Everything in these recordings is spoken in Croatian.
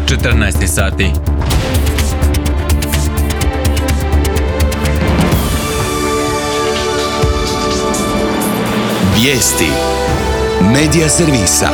14 sati. Vijesti Medija servisa.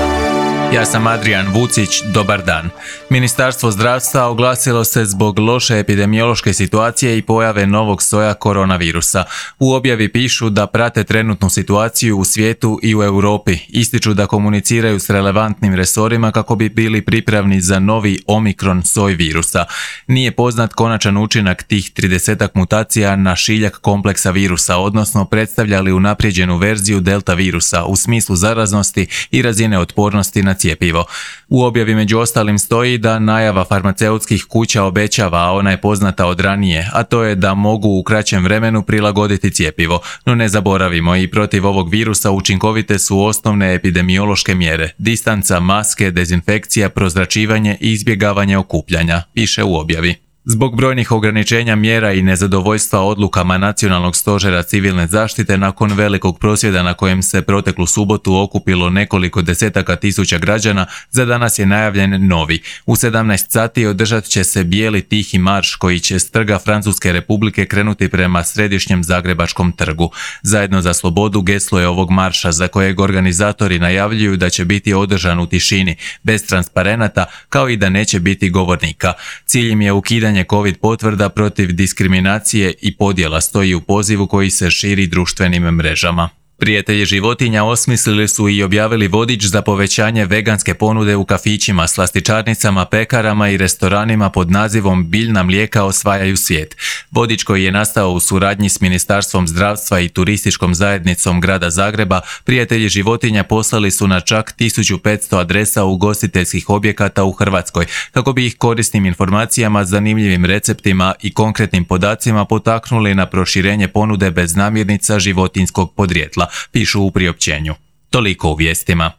Ja sam Adrian Vucić, dobar dan. Ministarstvo zdravstva oglasilo se zbog loše epidemiološke situacije i pojave novog soja koronavirusa. U objavi pišu da prate trenutnu situaciju u svijetu i u Europi. Ističu da komuniciraju s relevantnim resorima kako bi bili pripravni za novi omikron soj virusa. Nije poznat konačan učinak tih 30 mutacija na šiljak kompleksa virusa, odnosno predstavlja li unaprijeđenu verziju delta virusa u smislu zaraznosti i razine otpornosti na cjepivo. U objavi među ostalim stoji da najava farmaceutskih kuća obećava, a ona je poznata od ranije, a to je da mogu u kraćem vremenu prilagoditi cjepivo. No ne zaboravimo, i protiv ovog virusa učinkovite su osnovne epidemiološke mjere: distanca, maske, dezinfekcija, prozračivanje i izbjegavanje okupljanja, piše u objavi. Zbog brojnih ograničenja mjera i nezadovoljstva odlukama Nacionalnog stožera civilne zaštite nakon velikog prosvjeda na kojem se proteklu subotu okupilo nekoliko desetaka tisuća građana, za danas je najavljen novi. U 17 sati održat će se bijeli tihi marš koji će s trga Francuske Republike krenuti prema središnjem Zagrebačkom trgu. Zajedno za slobodu geslo je ovog marša, za kojeg organizatori najavljuju da će biti održan u tišini, bez transparenata, kao i da neće biti govornika. Cilj im je ukidanje COVID potvrda protiv diskriminacije i podjela, stoji u pozivu koji se širi društvenim mrežama. Prijatelji životinja osmislili su i objavili vodič za povećanje veganske ponude u kafićima, slastičarnicama, pekarama i restoranima pod nazivom Biljna mlijeka osvajaju svijet. Vodič koji je nastao u suradnji s Ministarstvom zdravstva i turističkom zajednicom grada Zagreba, prijatelji životinja poslali su na čak 1500 adresa ugostiteljskih objekata u Hrvatskoj, kako bi ih korisnim informacijama, zanimljivim receptima i konkretnim podacima potaknuli na proširenje ponude bez namirnica životinjskog podrijetla, pišu u priopćenju. Toliko u vijestima.